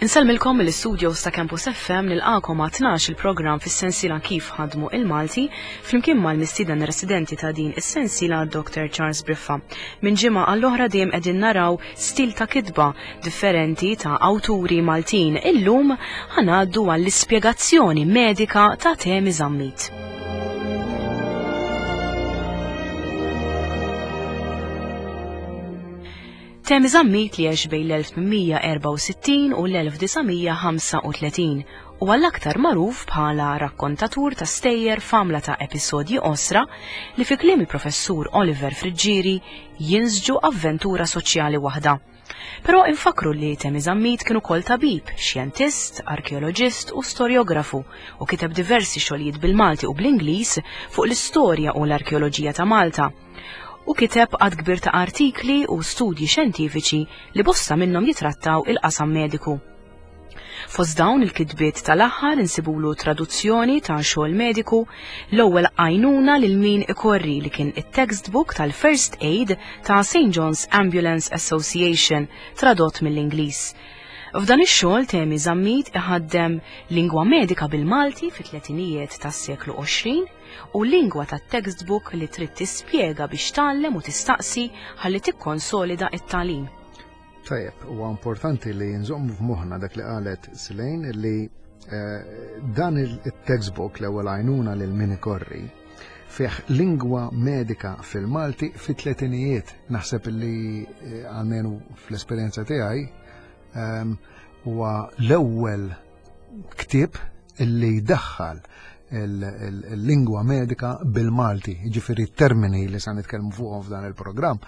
Insellmilkom mill-istudios ta' Campus FM nilqakom għat 12 il-programm fis-sensiela Kif ħadmu il-Malti flimkien mal-mistieden residenti ta' din is-sensiela Dr. Charles Briffa. Minn ġimgħa għall-oħra dejjem qegħdin naraw stil ta' kitba differenti ta' awturi Maltin. Illum ħanaddu għall-ispjegazzjoni medika ta' Temi Zammit. Temi Zammit li għex bejn l-1864 u l-1935 u għall-aktar magħruf bħala rakkontatur ta' stejjer f'għamla ta' episodji qosra li fi kliem il-professur Oliver Friggieri jinsġu avventura soċjali waħda. Però infakkru li Temi Zammit kien ukoll tabib, xjentist, arkeoloġist u storjografu u kiteb diversi xogħlijiet bil-Malti u bl-Ingliż fuq l-istorja u l-arkeoloġija ta' Malta. U kiteb għadd kbir ta' artikli u studji xjentifiċi li bosta minnhom jitrattaw il-qasam mediku. Fost dawn il-kitbiet tal-aħħar insibulu traduzzjoni ta' xogħol mediku, l-ewwel għajnuna lil min ikorri li kien it-textbook tal-First Aid ta' St. John's Ambulance Association tradott mill-Ingliż. F'dan ix-xogħol Temi Zammit iħaddem lingwa medika bil-Malti fit-tletinijiet tas-seklu 20 u lingwa tat-textbook li trid tispjega biex tgħallem u tistaqsi ħalli tikkonsolida t-tagħlim. Tajjeb, huwa importanti li nżommu f'moħħna dak li qalet Silejn li eh, dan il-textbook l-ewwel għajnuna lil min ikorri fih lingwa medika fil-Malti fit-tletinijiet. Naħseb li eh, għalmenu fl-esperjenza tiegħi ehm, huwa l-ewwel ktieb illi jdaħħal il-lingwa medika bil-Malti, ġifieri termini li sa nitkellmu fuqhom f'dan il-programm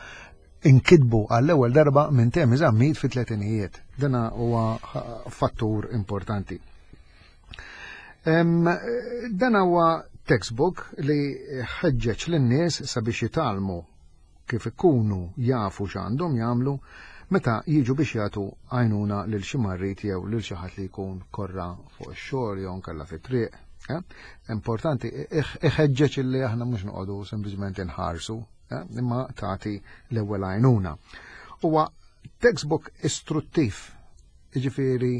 inkitbu għall-ewwel darba minn Temi Zammit fit-tletinijiet. Dana huwa fattur importanti. Dan huwa textbook li ħeġġeġ lin-nies sabiex jitgħallmu kif ikunu jafu x'għandhom jagħmlu meta jiġu biex jagħtu għajnuna lil xi marrid jew lil xi ħadd li jkun korra fuq ix-xogħol jew nkella fit-triq. Eh? Importanti, iħeġġeġ li aħna mhux noqogħdu sempliċement inħarsu eh, imma tagħti l-ewwel għajnuna. Huwa textbook istruttiv, jiġifieri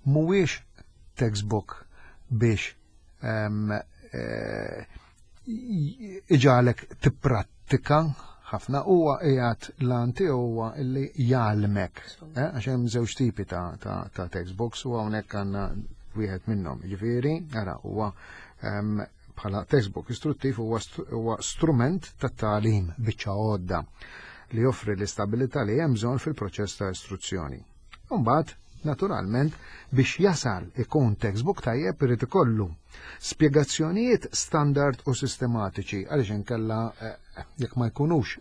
mhuwiex textbook biex ehm, eh, iġalek tipprattika ħafna huwa qiegħed l-għan tiegħu huwa li jgħallmek eh, għax hemm żewġ tipi ta', ta, ta textbooks u hawnhekk għandna wieħed minnhom. Ġifieri, ara huwa ehm, bħala textbook istruttiv huwa strument ta' tagħlim biċċa għodda li joffri l-istabilità li hemm bżonn fil-proċess ta' istruzzjoni. Imbagħad, naturalment, biex jasal ikun textbook tajjeb irid ikollu spjegazzjonijiet standard u sistematiċi għaliex inkella eh, jekk ma jkunux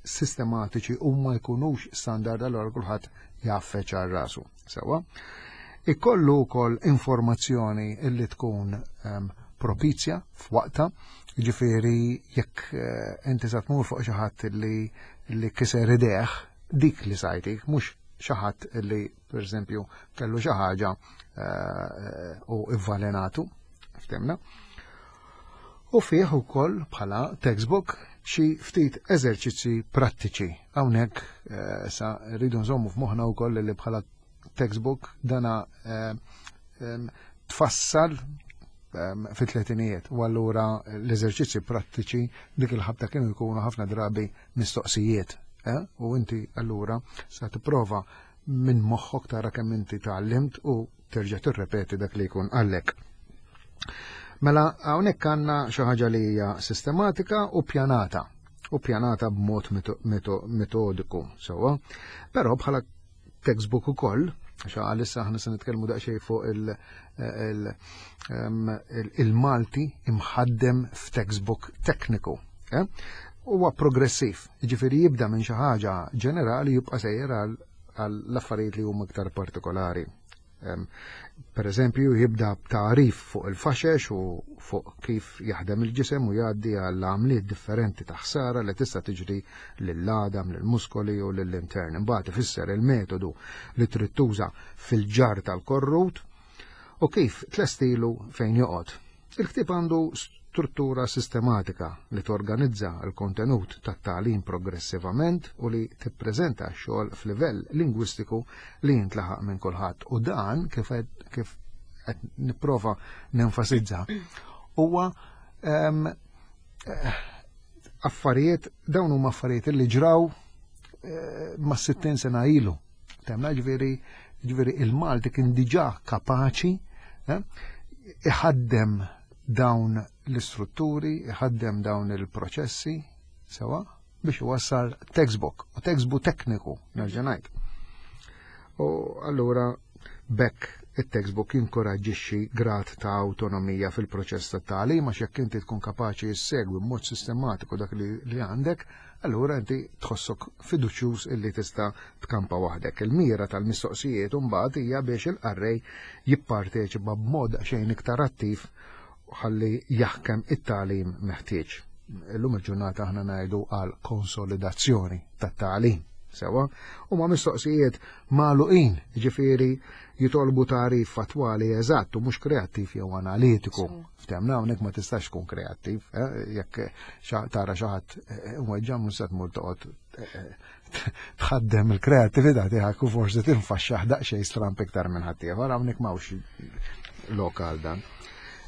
sistematiċi u ma jkunux standard allura kulħadd jaffeċ għal rasu. Sewa. Ikollu wkoll informazzjoni illi tkun um, propizja f'waqta, ġifieri jekk eh, inti sa tmur fuq xi ħadd li li kiser ideħ dik li sajtik, mhux xi ħadd li pereżempju kellu xi ħaġa eh, u ivvalenatu, ftemna. U fih ukoll bħala textbook xi ftit eżerċizzi prattiċi. Hawnhekk eh, sa rridu nżommu f'moħħna wkoll li bħala textbook dana eh, tfassal fit-tletinijiet u allura l-eżerċizzi prattiċi dik il-ħabta kienu jkunu ħafna drabi mistoqsijiet. Eh? U inti allura sa tipprova minn moħħok tara kemm inti tgħallimt u terġa' tirrepeti dak li jkun għallek. Mela hawnhekk għandna xi ħaġa li hija sistematika u pjanata u pjanata b'mod metodiku sewwa, però bħala textbook ukoll, għax għalissa aħna se nitkellmu daqsxejn fuq il-Malti imħaddem f'textbook tekniku. Eh? Huwa progressiv, jiġifieri jibda minn xi ħaġa ġenerali jibqa' sejjer għall affarijiet li huma iktar partikolari. Per eżempju, jibda b'tagħrif fuq il-faxex u fuq kif jaħdem il-ġisem u jgħaddi għal għamliet differenti ta' ħsara li tista' tiġri lill-għadam, lill-muskoli u lill-intern. Imbagħad ifisser il-metodu li trid tuża fil-ġar tal-korrut u kif tlestilu fejn joqgħod. Il-ktieb għandu Struttura sistematika li torganizza l-kontenut tat-tagħlim progressivament u li tippreżenta x-xogħol f'livell lingwistiku li jintlaħaq minn kulħadd. U dan kif kif qed nipprova nenfasizza huwa ehm, eh, affarijiet dawn huma affarijiet li ġraw eh, ma' 60 sena ilu. Temna ġifieri ġifieri il-Malti kien diġà kapaċi eh, iħaddem dawn l-istrutturi, iħaddem dawn il-proċessi, sewa, biex iwassal textbook, u textbook tekniku, nerġa' ngħid. U allura bekk it-textbook jinkoraġġixxi grad ta' awtonomija fil-proċess ta' tagħlim għax jekk inti tkun kapaċi ssegwi b'mod sistematiku dak li, li għandek, allura inti tħossok fiduċjuż illi tista' tkampa waħdek. Il-mira tal-mistoqsijiet imbagħad hija biex il-qarrej jipparteċipa b'mod xejn iktar attiv ħalli jaħkem it-tagħlim meħtieġ. Illum il-ġurnata aħna ngħidu għal konsolidazzjoni tat-tagħlim. Sewa, huma mistoqsijiet magħluqin, ġifieri jitolbu tagħrif fattwali eżatt u mhux kreattiv jew analitiku. Ftemna hawnhekk ma tistax tkun kreattiv, eh, jekk tara xi ħadd eh, weġġa' mhux se tmur toqgħod eh, tħaddem il-kreattività tiegħek u forsi tinfaxxaħ daqsxejn stramp iktar minn ħaddieħor hawnhekk m'hawnx lokal dan.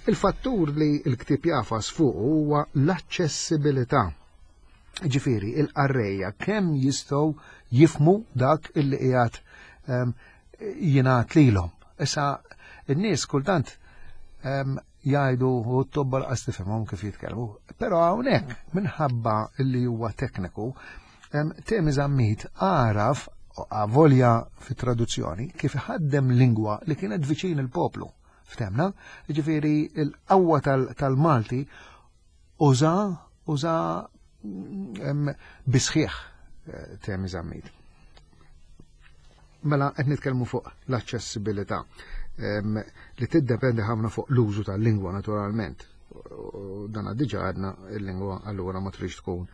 Il-fattur li l-ktieb jafas fuq huwa l-aċċessibilità. Ġifieri, il-qarrejja kemm jistgħu jifmu dak illi qiegħed ehm, jingħad lilhom. Issa n-nies kultant ehm, jgħidu u t-tobba laqas tifhimhom kif jitkellmu. Però hawnhekk minħabba li huwa tekniku, ehm, Temi Zammit għaraf avolja fit-traduzzjoni kif ħaddem lingwa li kienet viċin il-poplu. Ftemna, ġifieri l-qawwa tal-Malti uża uża bisħieħ eh, Temi Zammit. Mela qed nitkellmu fuq l-aċċessibilità li tiddependi ħafna fuq l-użu tal-lingwa naturalment. Dan diġà għadna il-lingwa allura ma trix tkun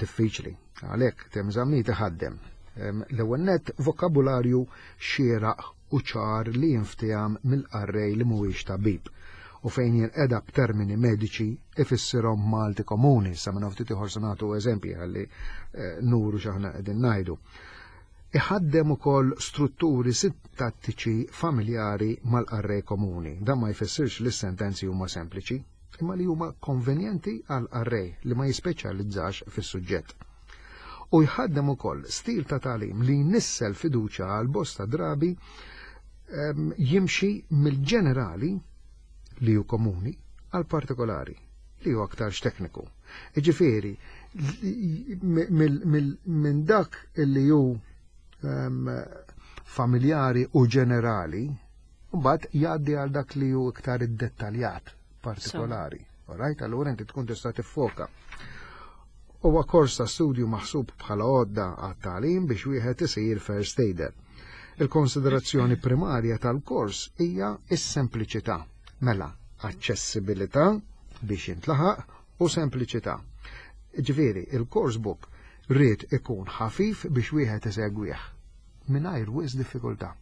diffiċli. Għalhekk Temi Zammit iħaddem l-ewwel nett vokabularju xieraq u ċar li jinfteham mill-qarrej li mhuwiex tabib u fejn jinqeda b'termini mediċi ifissirhom Malti komuni, sa minn ftit ieħor se nagħtu eżempji ħalli eh, nuru x'aħna qegħdin ngħidu. Iħaddem ukoll strutturi sintattiċi familjari mal-qarrej komuni. Dan ma jfissirx li s-sentenzi huma sempliċi, imma li huma konvenjenti għal qarrej li ma jispeċjalizzax fis-suġġett. U jħaddem ukoll stil ta' tagħlim li jnissel fiduċja għal bosta drabi ehm, jimxi mill-ġenerali li hu komuni għal partikolari li hu aktarx tekniku. Iġifieri, minn dak li hu ehm, familjari u ġenerali, mbagħad jgħaddi għal dak li hu iktar iddettaljat partikolari. Alright, allura inti tkun tista' tiffoka. Huwa kors ta' studju maħsub bħala għodda għat-tagħlim biex wieħed isir first aider. Il-konsiderazzjoni primarja tal-kors hija s-sempliċità. Mela, aċċessibilità biex jintlaħaq u sempliċità. Ġifieri, il-course book ried ikun ħafif biex wieħed isegwih mingħajr wisq diffikultà.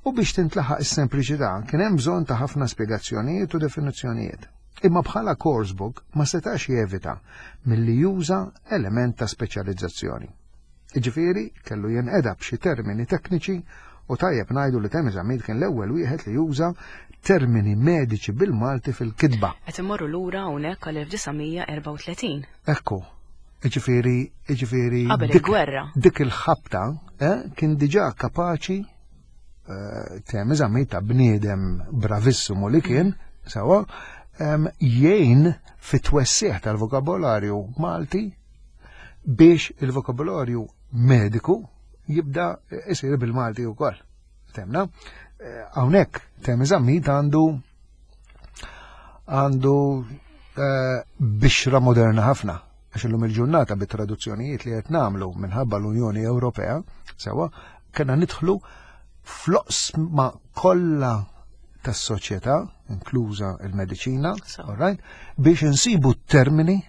U biex tintlaħaq is-sempliċità kien hemm bżonn ta' ħafna spjegazzjonijiet u definizzjonijiet. Imma bħala course book ma setax jevita milli juża element ta' speċjalizzazzjoni. Jiġifieri kellu jinqeda b'xi termini tekniċi u tajjeb ngħidu li Temi Zammit kien l-ewwel wieħed li juża termini mediċi bil-Malti fil-kitba. Qed immorru lura hawnhekk għal 1934. Ekku, Iġifieri, iġifieri. Qabel il-gwerra. Dik il-ħabta eh, kien diġà kapaċi eh, Temi Zammit ta' bniedem bravissimu li kien, mm. sewa, jgħin fit-twessiħ tal-vokabolarju Malti biex il-vokabolarju mediku jibda isir bil-Malti wkoll. Temna, eh, hawnhekk Temi Zammit għandu għandu eh, bixra moderna ħafna għax illum il-ġurnata bit-traduzzjonijiet li qed nagħmlu minħabba l-Unjoni Ewropea, sewa, kena nidħlu fl-oqsma kollha tas-soċjetà, inkluża il-mediċina, all right, biex insibu termini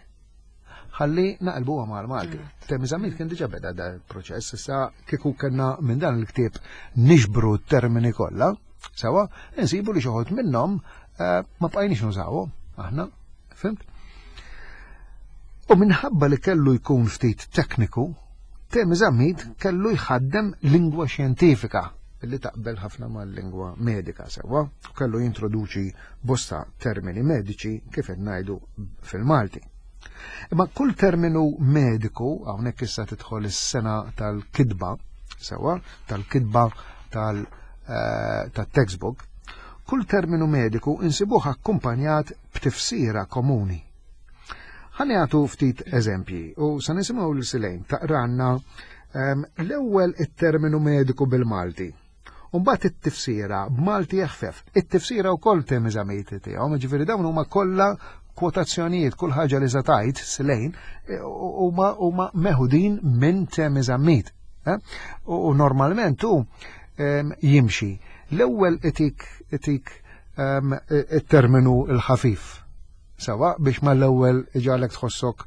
ħalli naqilbuha mal-Malti. Mm. Temi Zammit kien diġà beda da proċess, issa kieku kellna minn dan il-ktieb nixbru t-termini kollha, sewa, insibu li xi minnhom eh, ma bqajniex nużawhom aħna. Fhimt? U minħabba li kellu jkun ftit tekniku, Temi Zammit kellu jħaddem lingwa xjentifika li taqbel ħafna mal-lingwa medika sewwa, u kellu jintroduċi bosta termini mediċi kif qed ngħidu fil-Malti. Imma kull terminu mediku, hawnhekk issa tidħol is-sena tal-kitba, sewwa, tal-kitba tal-textbook, kull terminu mediku insibuh akkumpanjat b'tifsira komuni. Ħa nagħtu ftit eżempji u sa nisimgħu lil Silejn taqranna l-ewwel it-terminu mediku bil-Malti. U mbagħad it-tifsira b'Malti eħfef. It-tifsira wkoll Temi Zammit tiegħu, ġifieri dawn huma kollha kwotazzjonijiet, kull ħaġa li sa tajt Silejn huma huma meħudin minn Temi Zammit. Eh? U normalment hu jimxi. L-ewwel itik itik it-terminu l-ħafif. Sawa biex mal-ewwel iġagħlek tħossok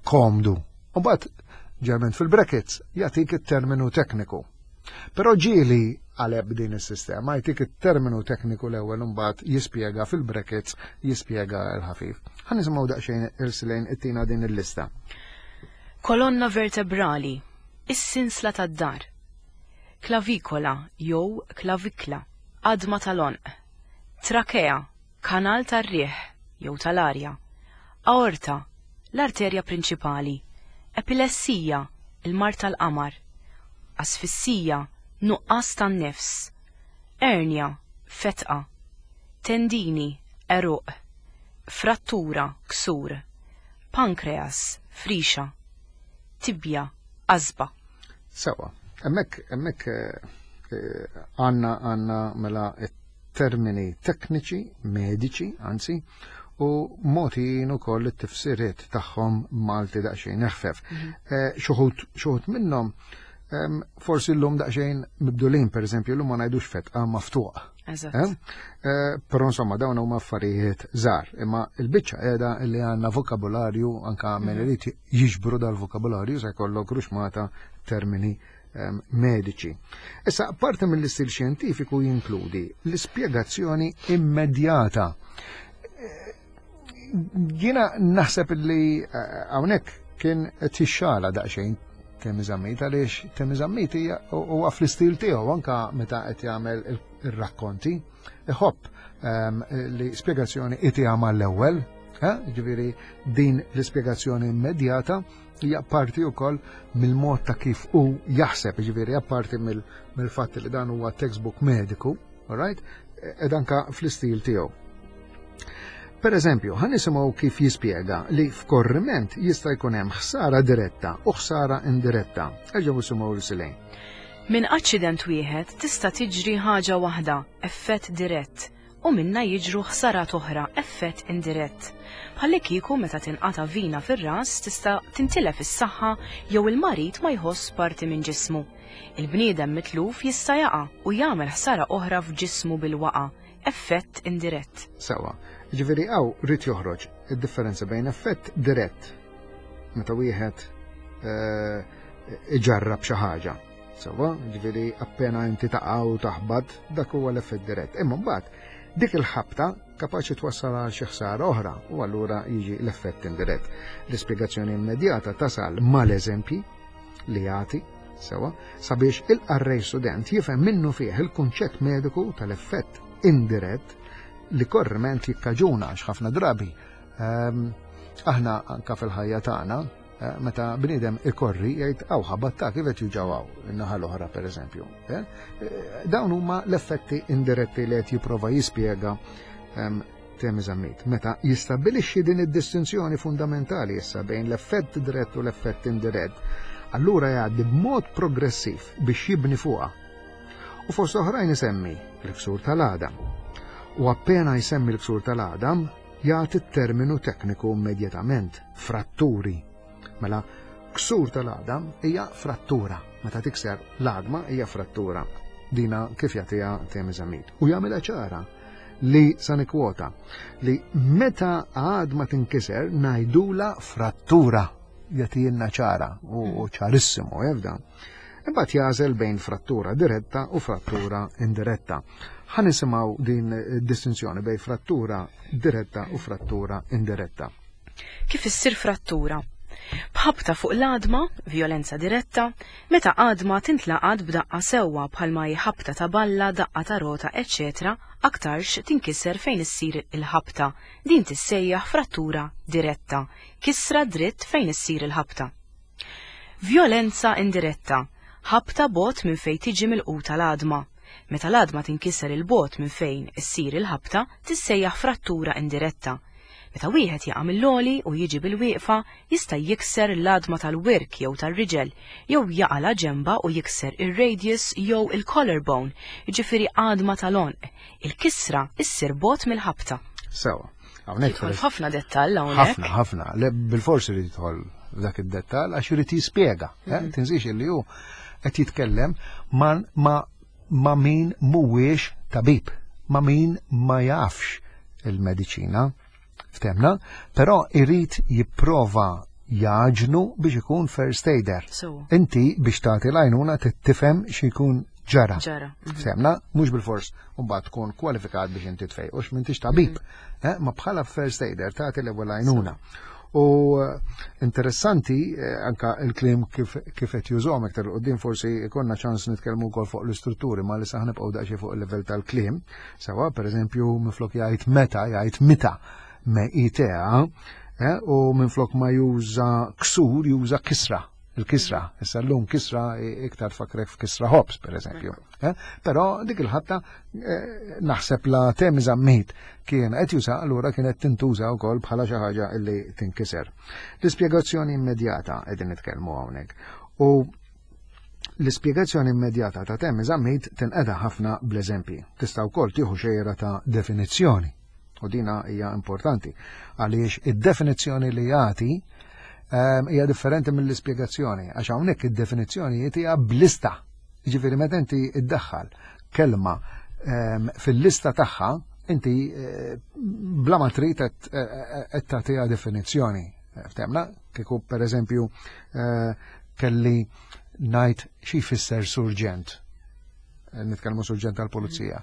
komdu. U mbagħad ġerment fil-brackets jagħtik it-terminu tekniku. Però ġieli qaleb din is-sistema, jtik it-terminu tekniku l-ewwel imbagħad jispjega fil-brackets jispjega l-ħafif. Ħa nisimgħu daqsxejn il-Silejn ittina din il-lista. Kolonna vertebrali, is-sinsla tad-dar. Klavikola jew klavikla, għadma tal-għonq. Trakea, kanal tar-riħ jew tal-arja. Aorta, l-arterja prinċipali. Epilessija, il-mard tal-qamar. Asfissija, nuqqas tan-nifs. Ernja, fetqa. Tendini, għeruq. Frattura, ksur. Pankreas, frixa. Tibja, qasba. Sewa, hemmhekk hemmhekk għandna għandna mela termini tekniċi, mediċi, anzi, u mogħtijin ukoll it-tifsiriet tagħhom Malti daqsxejn eħfef. Xuħut minnhom forsi llum daqsxejn mibdulin, per eżempju, llum ma ngħidux fetqa maftuq. Eżatt. Però insomma dawn huma affarijiet żgħar, imma l-biċċa qiegħda li għandna vokabularju anka min irid jiġbru dal-vokabularju se jkollok ruxmata termini mediċi. Issa, parti mill-istil xjentifiku jinkludi l-ispjegazzjoni immedjata. Jiena naħseb li hawnhekk kien tixxala daqsxejn Temi Zammit, għaliex Temi Zammit huwa fl-istil tiegħu anka meta qed jagħmel ir-rakkonti, iħobb li spjegazzjoni itiha mal-ewwel, ġifieri din l-ispjegazzjoni immedjata hija parti wkoll mill-mod ta' kif hu jaħseb, ġifieri apparti mill-fatt li dan huwa textbook mediku, all right, ed anka fl-istil tiegħu. Per eżempju, ħa nisimgħu kif jispjega li f'korriment jista' jkun hemm ħsara diretta u ħsara indiretta. Erġgħu nisimgħu lil Silejn. Minn aċċident wieħed tista' tiġri ħaġa waħda, effett dirett, u minnha jiġru ħsarat oħra, effett indirett. Bħallikieku meta tinqata' vina fir-ras tista' tintilef is-saħħa jew il-marid ma jħoss parti minn ġismu. Il-bniedem mitluf jista' jaqa' u jagħmel ħsara oħra f'ġismu bil-waqgħa, effett indirett. Sewwa. Jiġifieri hawn ried joħroġ id-differenza bejn effett dirett, meta wieħed iġarrab xi ħaġa. Sewwa, jiġifieri appena inti taqa' u taħbat, dak huwa l-effett dirett. Imma mbagħad dik il-ħabta kapaċi twassal għal xi ħsara oħra u allura jiġi l-effett indirett. L-ispjegazzjoni immedjata tasal mal-eżempji li jagħti sewwa sabiex il-qarrej student jifhem minnu fih il-kunċett mediku tal-effett indirett li korriment jikkaġuna għax ħafna drabi aħna anka fil-ħajja tagħna meta bniedem ikorri jgħid aw ħabatta kif qed juġaw in-naħa l-oħra pereżempju. Dawn huma l-effetti indiretti li qed jipprova jispjega Temi Zammit. Meta jistabbilixxi din id-distinzjoni fundamentali issa bejn l-effett dirett u l-effett indirett, allura jgħaddi b'mod progressiv biex jibni fuqha. U fost oħrajn isemmi l-ksur tal-għadam. U appena jsemmi l-ksur tal-għadam, jagħti t-terminu tekniku immedjatament, fratturi. Mela, ksur tal-għadam hija frattura. Meta tikser l-għadma hija frattura. Dina kif jagħtiha Temi Zammit. U jagħmilha ċara li sa nikkwota li meta għadma tinkiser ngħidula frattura. Jagħtielna ċara u ċarissimu jafda. Imbagħad jagħżel bejn frattura diretta u frattura indiretta. Ħa nisimgħu din id-distinzjoni bejn frattura diretta u frattura indiretta. Kif issir frattura? B'ħabta fuq l-għadma, vjolenza diretta, meta għadma tintlaqat b'daqqa sewwa bħalma hi ħabta ta' balla, daqqa ta' rota, eċċetera aktarx tinkiser fejn issir il-ħabta, din tissejjaħ frattura diretta, kisra dritt fejn issir il-ħabta. Vjolenza indiretta, ħabta bogħod minn fejn tiġi milquta l-għadma. Meta l-għadma tinkiser 'il bogħod minn fejn issir il-ħabta, tissejjaħ frattura indiretta. Meta wieħed jaqa' mill-għoli u jiġi bilwieqfa, jista' jikser l-għadma tal-wirk jew tar-riġel, jew jaqa' la ġenba u jikser ir-radius jew il-collarbone, jiġifieri għadma tal-għonq. Il-kisra issir bogħod mill-ħabta. Sewa. Hawnhekk Jidħol f'ħafna dettall hawnhekk. Ħafna, ħafna. Le bilfors irid jidħol f'dak id-dettall għax irid jispjega. Eh? Mhm. Tinsiex illi hu qed jitkellem ma, ma ma' min mhuwiex tabib, ma' min ma jafx il-mediċina, ftemna, però irid jipprova jaġnu biex ikun first aider. So. Inti biex tagħti l-għajnuna tifhem xi jkun ġara. Ġara. Ftemna, mhux bilfors mbagħad tkun kwalifikat biex inti tfejq, u m'intix tabib, mm. eh, ma bħala first aider tagħti l-ewwel għajnuna. U eh, interessanti eh, anka il-kliem kif qed jużhom iktar quddiem forsi ikonna ċans nitkellmu wkoll fuq l-istrutturi ma li saħ nibqgħu daqsxejn fuq il-livell tal-kliem. Sewa, pereżempju, minflok jgħid meta jgħid mita me itea, eh, u minflok ma juża ksur juża kisra il-kisra. Issa l-lum kisra iktar fakrek f'kisra ħobż, per eżempju. Eh? Però dik il-ħatta eh, naħseb la Temi Zammit kien qed juża allura kienet tintuża wkoll bħala xi ħaġa li tinkiser. L-ispjegazzjoni immedjata qegħdin nitkellmu hawnhekk. U l-ispjegazzjoni immedjata ta' Temi Zammit tinqeda ħafna bl-eżempji. Tista' wkoll tieħu xejra ta' definizzjoni. U dina hija importanti għaliex id-definizzjoni li jagħti ehm, hija differenti mill-ispjegazzjoni għax hawnhekk id-definizzjoni hija blista. Jiġifieri meta inti iddaħħal kelma ehm, fil-lista tagħha inti eh, bla ma trid qed eh, tagħtiha definizzjoni. Ftemna, kieku pereżempju eh, kelli ngħid xi jfisser surġent. Nitkellmu surġent tal-pulizija.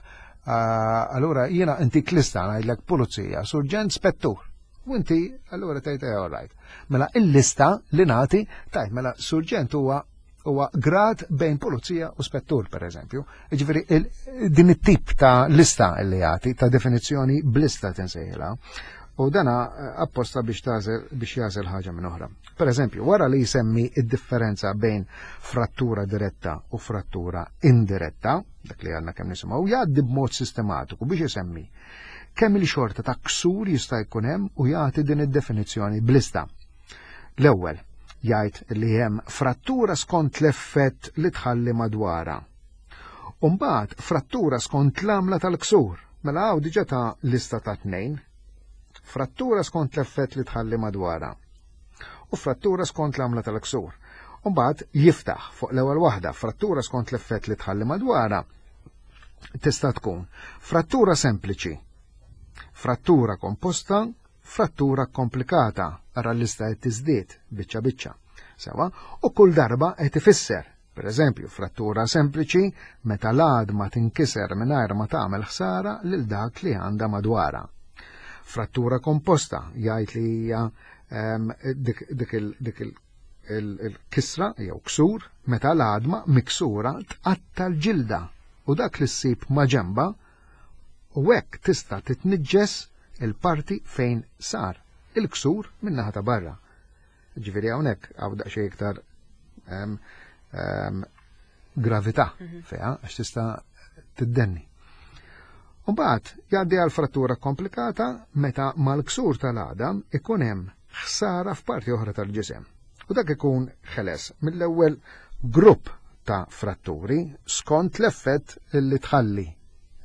Allura jiena inti klista ngħidlek pulizija, surġent spettur. U inti allura tgħid eh, all right. Mela il-lista li nagħti tajt mela surġent huwa huwa grad bejn pulizija u spettur, per eżempju. Ġifieri din it-tip ta' lista li jagħti, ta' definizzjoni blista tinsejħilha. U dana eh, apposta biex tażel biex jażel ħaġa minn oħra. Per eżempju, wara li jsemmi id-differenza bejn frattura diretta u frattura indiretta, dak li għandna kemm nisimgħu, jgħaddi b'mod sistematiku biex isemmi kemm il-xorta ta' ksur jista' jkun hemm u jagħti din id-definizzjoni blista. L-ewwel, jgħid li hemm frattura skont l-effett li tħalli madwarha. U mbagħad frattura skont l-għamla tal-ksur. Mela hawn diġà ta' lista ta' tnejn. Frattura skont l-effett li tħalli madwarha. U frattura skont l-għamla tal-ksur. U mbagħad jiftaħ fuq l-ewwel waħda frattura skont l-effett li tħalli madwarha tista' tkun frattura sempliċi, frattura komposta, frattura komplikata, ara l-lista qed tiżdied biċċa biċċa. Sewa, u kull darba qed ifisser, per eżempju, frattura sempliċi meta l-għadma tinkiser mingħajr ma tagħmel ħsara lil dak li għandha madwarha. Frattura komposta jgħid li hija ehm, dik il-kisra jew ksur meta l-għadma miksura tqatta l-ġilda u dak li ssib ma' ġenba u hekk tista' titniġġes il-parti fejn sar il-ksur min-naħa ta' barra. Ġifieri hawnhekk hawn daqsxejn iktar um, um, gravità mm -hmm. fiha għax tista' tiddenni. U mbagħad jgħaddi għal frattura komplikata meta mal-ksur tal-għadam ikun hemm ħsara f'parti oħra tal-ġisem. U dak ikun ħeles mill-ewwel grupp ta' fratturi skont l-effett li tħalli.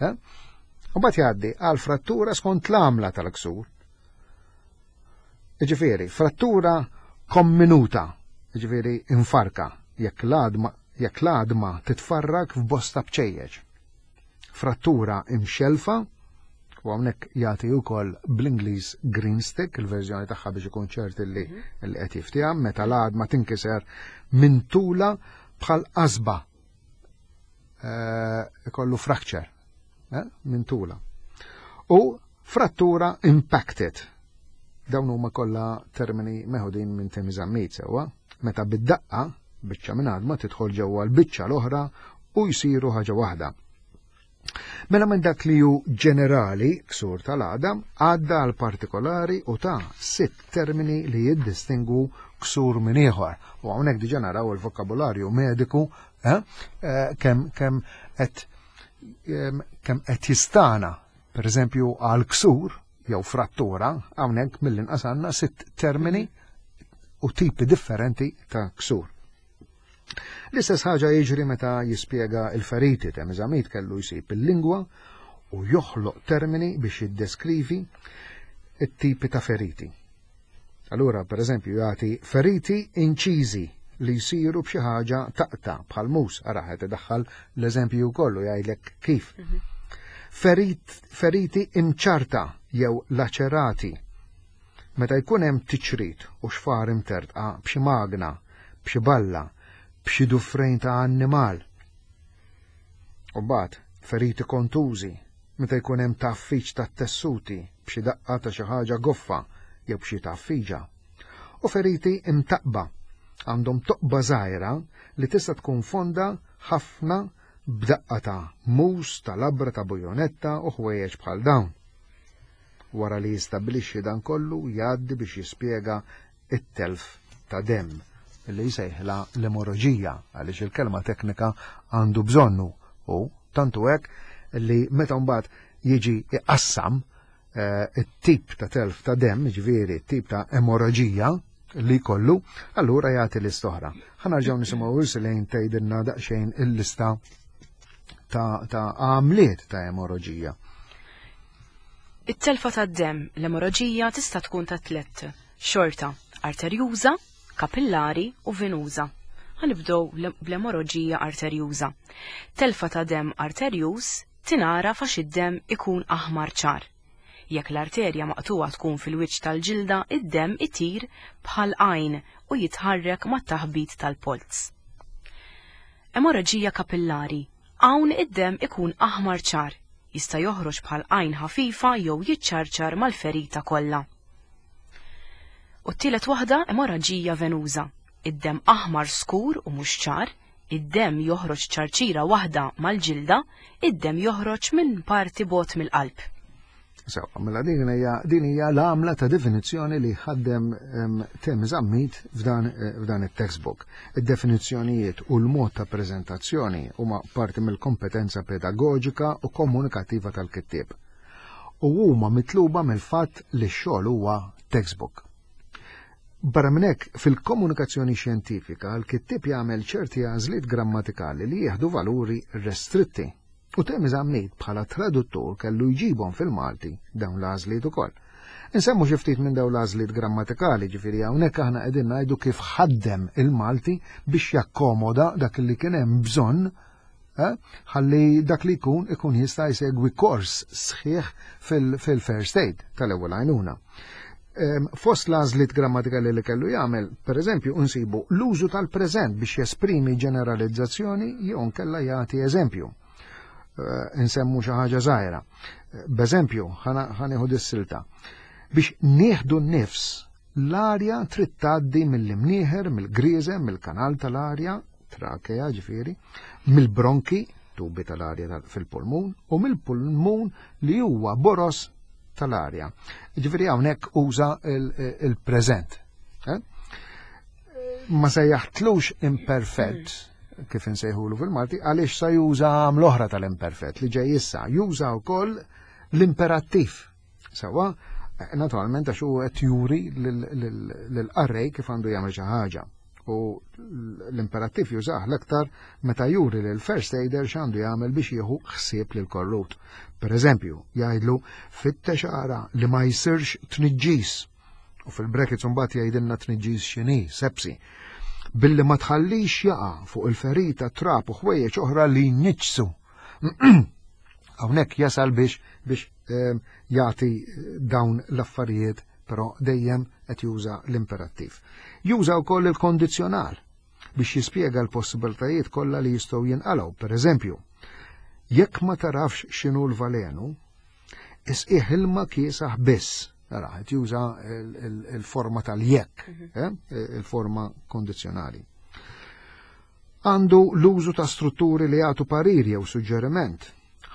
Eh? U mbagħad jgħaddi għal frattura skont l-għamla tal-ksur. Ġifieri, frattura komminuta, ġifieri infarka, jekk l-għadma jekk l-għadma titfarrak f'bosta bċejjeċ. Frattura imxelfa, u hawnhekk jagħti wkoll bl-Ingliż green stick, il-verżjoni tagħha biex ikun ċert li mhm. li qed jiftiehem, meta l-għadma tinkiser minn tula bħal qasba eh, ikollu fracture eh, minn tula. U frattura impacted. Dawn huma kollha termini meħudin minn Temi Zammit sewwa, meta bid-daqqa biċċa minn għadma tidħol ġewwa l-biċċa l-oħra u jsiru ħaġa waħda. Mela minn dak li hu ġenerali, ksur tal-għadam, għadda għal partikolari u ta' sitt termini li jiddistingwu ksur minn ieħor. U hawnhekk diġà naraw il-vokabularju mediku eh, eh, kemm kemm qed kemm qed jistana, per eżempju għal ksur jew frattura, hawnhekk mill-inqas għandna sitt termini u tipi differenti ta' ksur. L-istess ħaġa jiġri meta jispjega il-feriti ta' Zammit kellu jsib il-lingwa u joħloq termini biex jiddeskrivi it-tipi ta' feriti. Allura, per eżempju, jagħti feriti inċiżi li jsiru b'xi ħaġa taqta bħal mus, ara qed idaħħal l-eżempju wkoll u jgħidlek kif. Mhm. Ferit, feriti imċarta jew laċerati Meta jkun hemm tiċrit u xfar imtertqa b'xi magna, b'xi balla, b'xi dufrejn ta' annimal. U mbagħad feriti kontużi, meta jkun hemm tgħaffiġ tat-tessuti b'xi daqqa ta' xi ħaġa goffa jew b'xi tgħaffiġa. U feriti imtaqqba, għandhom toqba żgħira li tista' tkun fonda ħafna b'daqqa ta' mus, ta' labra, ta' bujonetta u ħwejjeġ bħal dawn. Wara li jistabbilixxi dan kollu jgħaddi biex jispjega it-telf ta' demm li jsejħilha l-emoroġija għaliex il-kelma teknika għandu bżonnu u tantu hekk li meta mbagħad jiġi iqassam eh, it-tip ta' telf ta' demm, ġifieri t-tip ta' emoroġija li kollu, allura jagħti lista oħra. Ħa nisimgħu Ursulejn tgħidilna daqsxejn il-lista ta' għamliet ta' emoroġija. It-telfa tad-demm, l-emoroġija tista' tkun ta' tlett xorta, arterjuża, kapillari u venuża. Ħa nibdew bl-emoroġija arterjuża. Telfa ta' demm arterjuż tingħaraf għax id-demm ikun aħmar ċar. Jekk l-arterja maqtugħa tkun fil-wiċċ tal-ġilda, id-demm itir bħal għajn u jitħarrek mat-taħbit tal-polz. Emorraġija kapillari, Hawn id-demm ikun aħmar ċar, jista' joħroġ bħal għajn ħafifa jew jiċċarċar mal-ferita kollha. U t-tielet waħda emorraġija venuża, id-demm aħmar skur u mhux ċar, id-demm joħroġ ċarċira waħda mal-ġilda, id-demm joħroġ minn parti bogħod mill-qalb. Sewa, mela din hija din hija l-għamla ta' definizzjoni li ħaddem Tim Zammit f'dan eh, f'dan it-textbook. Id-definizzjonijiet u l-mod ta' preżentazzjoni huma parti mill-kompetenza pedagoġika u komunikattiva tal-kittieb. U huma mitluba mill-fatt li x-xogħol huwa textbook. Barra minn hekk, fil-komunikazzjoni xjentifika, l-kittieb jagħmel ċerti għażliet grammatikali li jieħdu valuri restritti U Temi Zammit bħala traduttur kellu jġibhom fil-Malti dawn l-għażliet ukoll. Insemmu xi ftit minn dawn l-għażliet grammatikali, ġifieri hawnhekk aħna qegħdin ngħidu kif ħaddem il-Malti biex jakkomoda dak li kien hemm bżonn eh, ħalli dak li jkun ikun jista' jsegwi kors sħiħ fil-first aid tal-ewwel għajnuna. Fost l-għażliet grammatikali li kellu jagħmel, pereżempju, nsibu l-użu tal-preżent biex jesprimi ġeneralizzazzjoni jew nkella jagħti eżempju. Eh, insemmu xi ħaġa żgħira. B'eżempju, ħanieħu dis-silta. Biex nieħdu n-nifs, l-arja trid tgħaddi mill-imnieħer, mill-grieżem, mill-kanal tal-arja, trakea ġifieri, mill-bronki, tubi tal-arja fil-pulmun, u mill-pulmun li huwa boros tal-arja. Ġifieri hawnhekk uża il-preżent. Eh? Ma sejjaħtlux imperfett mm. kif insejħulu fil-Malti għaliex sa juża l-oħra tal-imperfett li ġej issa, juża wkoll l-imperattiv. Sewa, eh, naturalment għax hu qed juri lill-qarrej kif għandu jagħmel xi ħaġa. U l-imperattiv jużah l-aktar meta juri lil first aider x'għandu jagħmel biex jieħu ħsieb lil korrut. Per eżempju, jgħidlu fittex ara li ma jsirx tniġġis. U fil-brackets imbagħad jgħidilna tniġġis x'inhi, sepsi. Billi ma tħallix jaqa' fuq il-ferita trab u ħwejjeġ oħra li jniġġsu. Hawnhekk jasal biex biex ehm, jagħti dawn l-affarijiet però dejjem qed juża l-imperattiv. Juża wkoll il-kondizzjonal. biex jispjega l-possibiltajiet kollha li jistgħu jinqalgħu. Per eżempju, jekk ma tarafx x'inhu l-valenu, isqih ilma kiesaħ biss. Ara, qed juża il-forma tal-jekk, mhm. eh, il-forma kondizzjonali. Għandu l-użu ta' strutturi li jagħtu parir jew suġġeriment.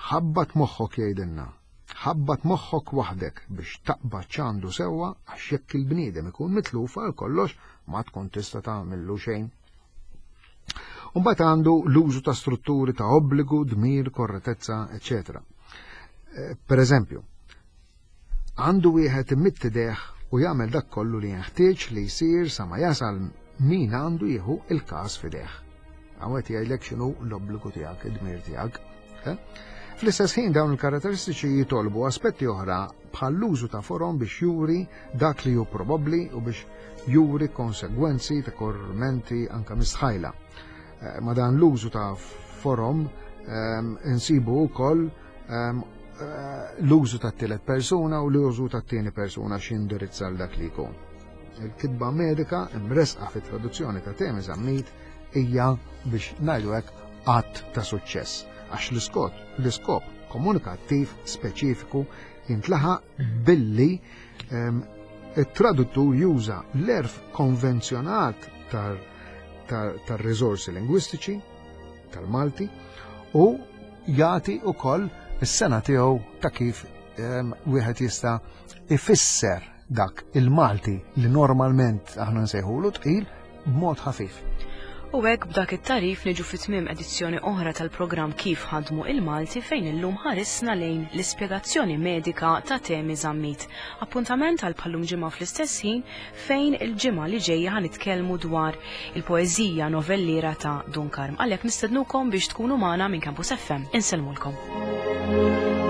Ħabbat moħħok jgħidilna. Ħabbat moħħok waħdek biex taqbad x'għandu sewwa għax jekk il-bniedem ikun mitluf għal kollox ma tkun tista' tagħmillu xejn. Umbagħad għandu l-użu ta' strutturi ta' obbligu, dmir, korretezza, eċetera. Eh, per eżempju, għandu wieħed imidd idejh u jagħmel dak kollu li jenħtieġ li jsir sa ma jasal min għandu jieħu il-każ f'idejh. Hawn qed jgħidlek x'inhu l-obbligu tiegħek, id-dmir tiegħek. Eh? Fl-istess ħin dawn il-karatteristiċi jitolbu aspetti oħra bħal l-użu ta' forom biex juri dak li hu probabbli u biex juri konsegwenzi ta' kormenti anka mistħajla. Eh, ma dan l-użu ta' forom ehm, insibu wkoll ehm, eh, l-użu ta' tielet persuna u l-użu ta' tieni persuna x'indirizza l dak li jkun. Il-kitba medika imresqa fit-traduzzjoni ta' Temi Zammit hija biex ngħidu hekk att ta' suċċess għax l-iskop l-iskop komunikattiv speċifiku jintlaħaq billi ehm, it-traduttur juża l-erf konvenzjonat tar-riżorsi lingwistiċi tal-Malti u jagħti wkoll is-sena tiegħu ta' kif ehm, wieħed jista' ifisser dak il-Malti li normalment aħna nsejħulu tqil b'mod ħafif. U hekk b'dak it-tagħrif niġu fi tmiem edizzjoni oħra tal-programm Kif Ħadmu il-Malti fejn illum ħarisna lejn l-ispjegazzjoni medika ta' Temi Zammit. Appuntament għal bħallum ġimgħa fl-istess ħin fejn il-ġimgħa li ġejja ħa nitkellmu dwar il-poeżija novelliera ta' Dun Karm. Għalhekk nistednukom biex tkunu magħna minn Campus FM. Insellmulkom.